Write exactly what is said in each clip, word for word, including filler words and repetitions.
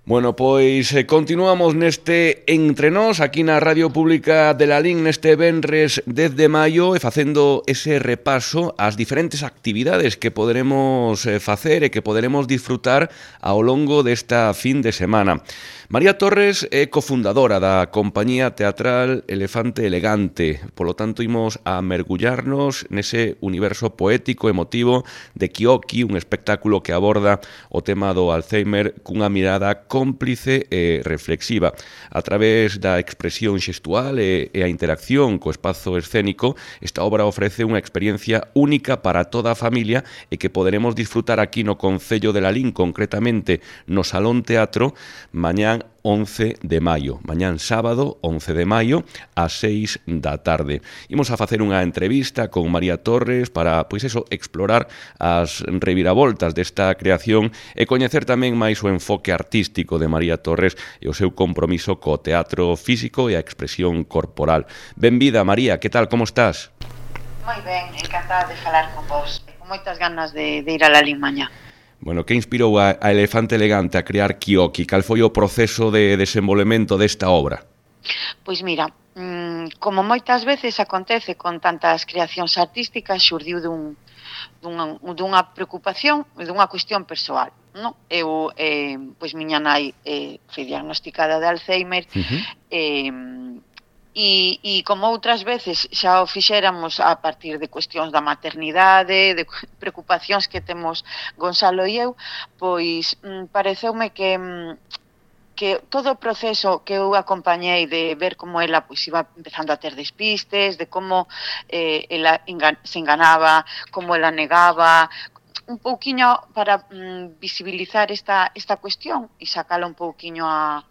Bueno, pois eh, continuamos neste Entre Nós, aquí na Radio Pública de Lalín, neste venres dez de maio, e facendo ese repaso ás diferentes actividades que poderemos eh, facer e que poderemos disfrutar ao longo desta fin de semana. María Torres é cofundadora da compañía teatral Elefante Elegante, polo tanto imos a mergullarnos nese universo poético, emotivo de Kioki, un espectáculo que aborda o tema do Alzheimer cunha mirada cómplice e reflexiva. A través da expresión xestual e, e a interacción co espazo escénico, esta obra ofrece unha experiencia única para toda a familia e que poderemos disfrutar aquí no Concello de Lalín, concretamente no Salón Teatro, mañán once de maio, mañán sábado once de maio ás seis da tarde. Imos a facer unha entrevista con María Torres para, pois eso, explorar as reviravoltas desta creación e coñecer tamén máis o enfoque artístico de María Torres e o seu compromiso co teatro físico e a expresión corporal. Benvida, María, que tal, como estás? Moi ben, encantada de falar con vos, con moitas ganas de, de ir a Lalín mañá. Bueno, que inspirou a, a Elefante Elegante a crear Kioki? Cal foi o proceso de desenvolvemento desta obra? Pois mira, mmm, como moitas veces acontece con tantas creacións artísticas, xurdiu dun, dunha, dunha preocupación e dunha cuestión persoal. No? Eu, eh, pois miña nai eh, foi diagnosticada de Alzheimer, uh-huh. eh, E, e como outras veces xa o fixéramos a partir de cuestións da maternidade, de preocupacións que temos Gonzalo e eu, pois mm, pareceume que, mm, que todo o proceso que eu acompañei de ver como ela pois iba empezando a ter despistes, de como eh, ela engan- se enganaba, como ela negaba, un pouquiño para mm, visibilizar esta, esta cuestión e sacala un pouquiño a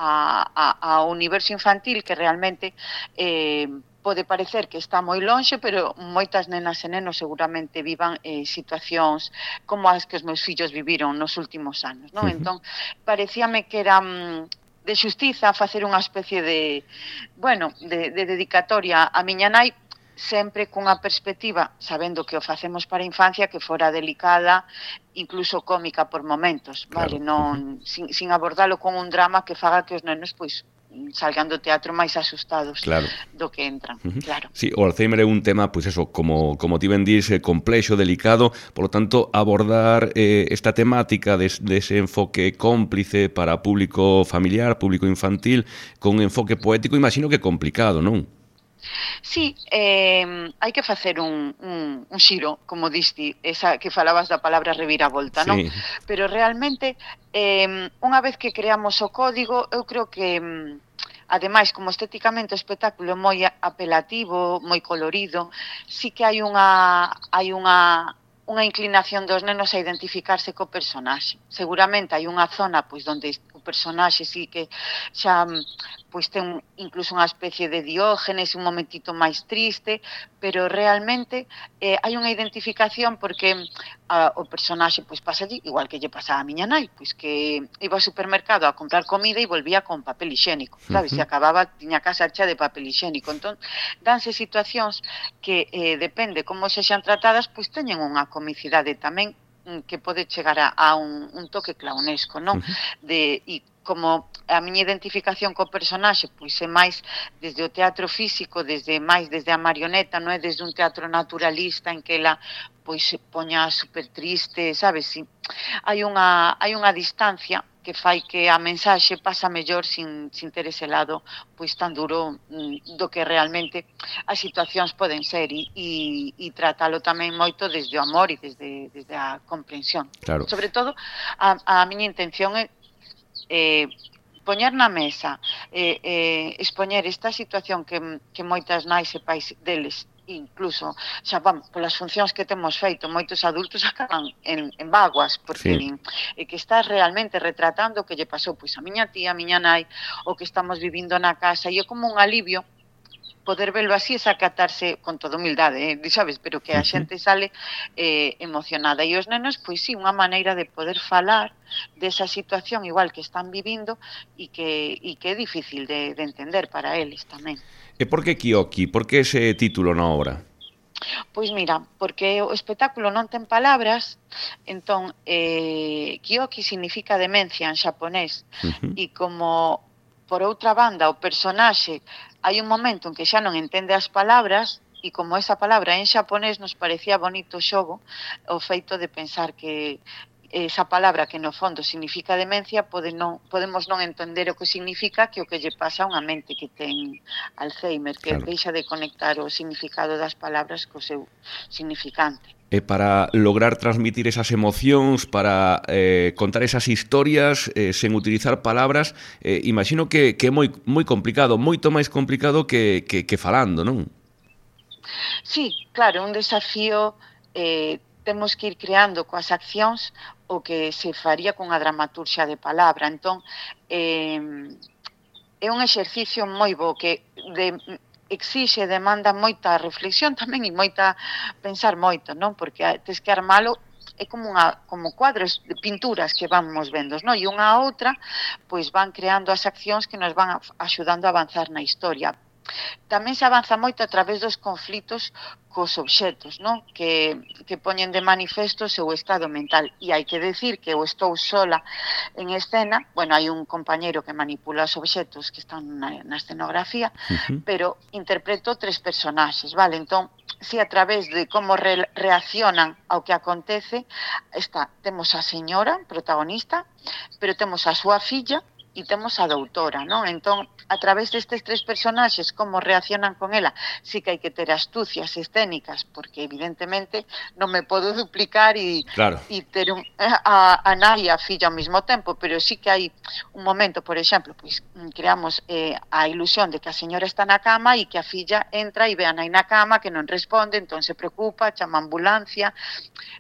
A, a, ao universo infantil que realmente eh, pode parecer que está moi lonxe, pero moitas nenas e nenos seguramente vivan eh, situacións como as que os meus fillos viviron nos últimos anos, non? Uh-huh. Entón, parecíame que era mm, de xustiza facer unha especie de, bueno, de, de dedicatoria a miña nai, sempre cunha perspectiva, sabendo que o facemos para a infancia, que fora delicada, incluso cómica por momentos, vale? Claro. Non, sin, sin abordalo con un drama que faga que os nenos, pois, salgan do teatro máis asustados, claro, do que entran, uh-huh. Claro. Sí, o Alzheimer é un tema, pois eso, como, como ti ben dís, complexo, delicado, polo tanto, abordar eh, esta temática dese de enfoque cómplice para público familiar, público infantil, con un enfoque poético, imagino que complicado, non? Sí, eh, hai que facer un, un, un xiro, como diste, esa que falabas da palabra reviravolta, sí. Non? Pero realmente, eh, unha vez que creamos o código, eu creo que, ademais, como estéticamente o espectáculo é moi apelativo, moi colorido, sí que hai unha, hai unha, unha inclinación dos nenos a identificarse co personaxe. Seguramente hai unha zona pois onde o personaxe sí que xa pois ten incluso unha especie de Diógenes, un momentito máis triste, pero realmente eh, hai unha identificación porque ah, o personaxe pois pasa allí, igual que lle pasaba a miña nai, pois que iba ao supermercado a comprar comida e volvía con papel higiénico, sabes? Uh-huh. Se acababa, tiña casa hecha de papel higiénico. Entón, danse situacións que eh, depende como sexan tratadas, pois teñen unha comicidade tamén que pode chegar a, a un, un toque clownesco, non? Uh-huh. De, e como a miña identificación co personaxe pois é máis desde o teatro físico, desde máis desde a marioneta, non é desde un teatro naturalista en que ela pois se poña super triste, sabes? Si, hai unha hai unha distancia que fai que a mensaxe pasa mellor sin, sin ter ese lado pois tan duro do que realmente as situacións poden ser e, e, e tratalo tamén moito desde o amor e desde, desde a comprensión. Claro. Sobre todo, a, a miña intención é eh, poñer na mesa, eh, eh, expoñer esta situación que, que moitas nais e pais deles, incluso xa vamos, polas funcións que temos feito, moitos adultos acaban en, en vaguas, porque sí. Din, e que estás realmente retratando o que lle pasou pois a miña tía, a miña nai, o que estamos vivindo na casa, e é como un alivio poder verlo así e sacatarse con toda humildade, eh, sabes, pero que a xente sale eh, emocionada. E os nenos, pois sí, unha maneira de poder falar desa situación igual que están vivindo e que, e que é difícil de, de entender para eles tamén. E por que Kioki? Por que ese título na obra? Pois mira, porque o espectáculo non ten palabras, entón eh, Kyoki significa demencia en xaponés, Uh-huh. e como por outra banda o personaxe hai un momento en que xa non entende as palabras, e como esa palabra en xaponés nos parecía bonito o xogo, o feito de pensar que esa palabra que no fondo significa demencia pode non, podemos non entender o que significa, que o que lle pasa a unha mente que ten Alzheimer, que Claro. deixa de conectar o significado das palabras co seu significante. E para lograr transmitir esas emocións, para eh, contar esas historias eh, sen utilizar palabras, eh, imagino que, que é moi, moi complicado, moito máis complicado que, que, que falando, non? Sí, claro, un desafío, eh, temos que ir creando coas accións o que se faría cunha dramaturxia de palabra. Entón, eh, é un exercicio moi bo que de, exixe, demanda moita reflexión tamén e moita pensar moito, non? Porque tes que armalo, é como unha como cuadros de pinturas que vamos vendo, non? E unha a outra pois van creando as accións que nos van axudando a avanzar na historia. Tamén se avanza moito a través dos conflitos cos obxetos, non? Que, que poñen de manifesto o seu estado mental. E hai que decir que eu estou sola en escena, bueno, hai un compañeiro que manipula os obxetos que están na, na escenografía, Uh-huh. pero interpreto tres personaxes, vale? Entón, si a través de como re, reaccionan ao que acontece, está, temos a señora protagonista, pero temos a súa filla, e temos a doutora, non? Entón, a través destes tres personaxes, como reaccionan con ela, sí que hai que ter astucias escénicas, porque evidentemente non me podo duplicar e, claro. e ter un, a, a nai e a filla ao mesmo tempo, pero sí que hai un momento, por exemplo, pois creamos eh, a ilusión de que a señora está na cama e que a filla entra e ve a nai na cama que non responde, entón se preocupa, chama a ambulancia,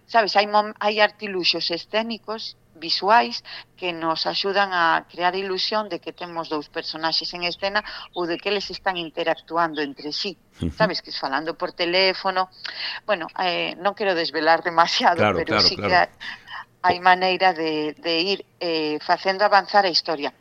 sabes, hai, hai artiluxos escénicos visuais que nos axudan a crear a ilusión de que temos dous personaxes en escena ou de que eles están interactuando entre sí. Uh-huh. Sabes, que es falando por teléfono. Bueno, eh, non quero desvelar demasiado, claro, pero claro, sí claro. que hai, hai maneira de, de ir eh, facendo avanzar a historia.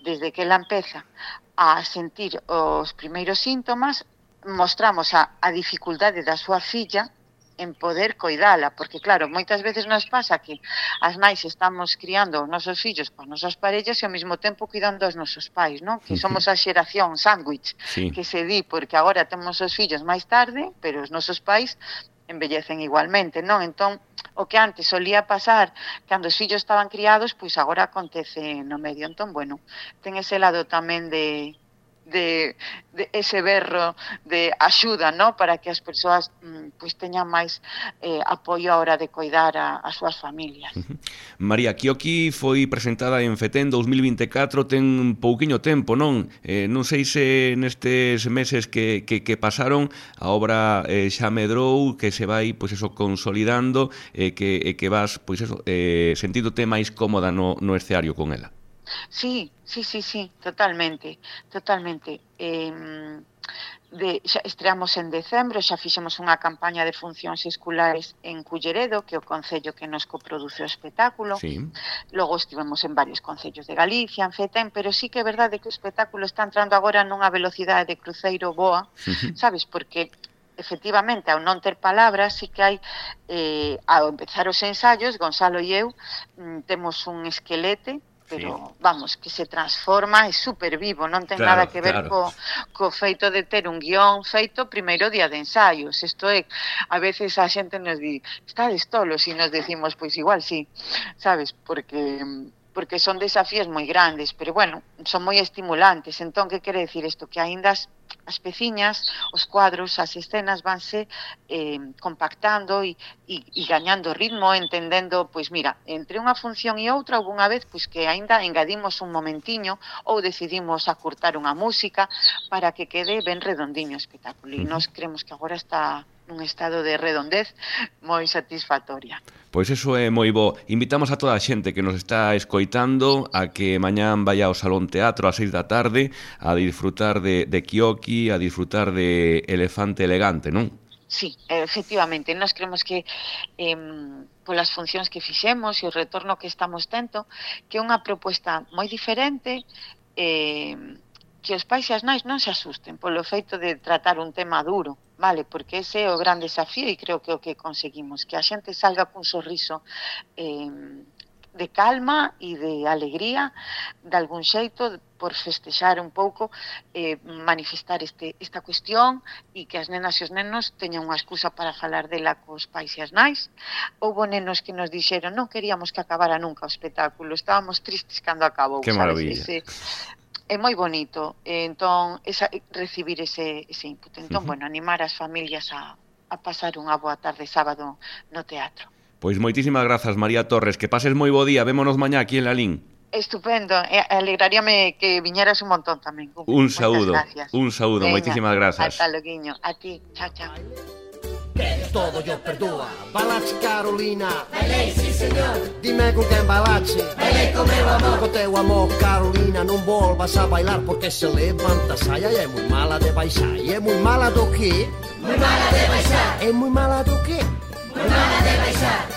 Desde que ela empeza a sentir os primeiros síntomas, mostramos a, a dificultade da súa filla en poder coidala, porque claro, moitas veces nos pasa que as nais estamos criando os nosos fillos con nosas parellas e ao mesmo tempo cuidando os nosos pais, non? Que somos a xeración sándwich, sí. que se di, porque agora temos os fillos máis tarde, pero os nosos pais envellecen igualmente, non? Entón, o que antes solía pasar cando os fillos estaban criados, pois agora acontece no medio. Entón, bueno, ten ese lado tamén de De, de ese berro de axuda, ¿no? Para que as persoas mm, pues teñan máis eh, apoio a hora de coidar a, as súas familias. Uh-huh. María, Kyoki foi presentada en Fetén dous mil vinte e catro, ten pouquiño tempo, non? Eh, non sei se nestes meses que, que, que pasaron a obra eh, xa medrou, que se vai pois eso consolidando, eh, que, eh, que vas pois eso, eh, sentidote máis cómoda no, no escenario con ela. Sí, sí, sí, sí, totalmente, totalmente. Eh, de, xa estreamos en decembro, xa fixemos unha campaña de funcións escolares en Culleredo, que é o concello que nos coproduce o espectáculo. Sí. Logo estivemos en varios concellos de Galicia, en Fetén, pero sí que é verdade que o espectáculo está entrando agora nunha velocidade de cruceiro boa, uh-huh. Sabes, porque efectivamente, ao non ter palabras, sí que hai, eh, ao empezar os ensaios, Gonzalo e eu, mm, temos un esquelete, pero, sí. Vamos, que se transforma, é super vivo, non ten claro, nada que ver claro. co, co feito de ter un guión feito primeiro día de ensaios. Isto é, a veces a xente nos di, estades tolos, e nos decimos, pois igual sí, sabes, porque porque son desafíos moi grandes, pero bueno, son moi estimulantes. Entón, que quere decir isto? Que aínda as, as peciñas, os cuadros, as escenas vanse eh, compactando e, e, e gañando ritmo, entendendo, pois mira, entre unha función e outra, houve unha vez pois, que aínda engadimos un momentiño ou decidimos acurtar unha música para que quede ben redondiño o espectáculo. E nós creemos que agora está nun estado de redondez moi satisfactoria. Pois eso é moi bo. Invitamos a toda a xente que nos está escoitando a que mañán vai ao Salón Teatro ás seis da tarde a disfrutar de, de Kyoki, a disfrutar de Elefante Elegante, non? Sí, efectivamente, nós creemos que eh, polas funcións que fixemos e o retorno que estamos tendo, que é unha proposta moi diferente, eh, que os pais e as nais non se asusten polo feito de tratar un tema duro. vale, porque ese é o gran desafío e creo que é o que conseguimos, que a xente salga cun sorriso eh, de calma e de alegría, de algún xeito, por festexar un pouco, eh, manifestar este, esta cuestión e que as nenas e os nenos teñan unha excusa para falar dela cos pais e as nais. Houbo nenos que nos dixeron non queríamos que acabara nunca o espectáculo, estábamos tristes cando acabou. Que maravilla. Ese, é moi bonito, entón, esa, recibir ese, ese input. Entón, uh-huh. bueno, animar as familias a, a pasar unha boa tarde sábado no teatro. Pois moitísimas grazas, María Torres, que pases moi bo día, vémonos mañá aquí en Lalín. Estupendo, alegraríame que viñeras un montón tamén. Un saúdo, un saúdo, moitísimas grazas. Ata loguiño, a ti, chao, chao. Que todo yo perdúa. Balachi Carolina. Bailei, sí señor. Dime con quen balachi. Bailei con meu amor. Co teu amor, Carolina, non volvas a bailar porque se levanta saia e é moi mala de baixar. E é moi mala do que? Moi mala de baixar. É moi mala do que? Moi mala de baixar.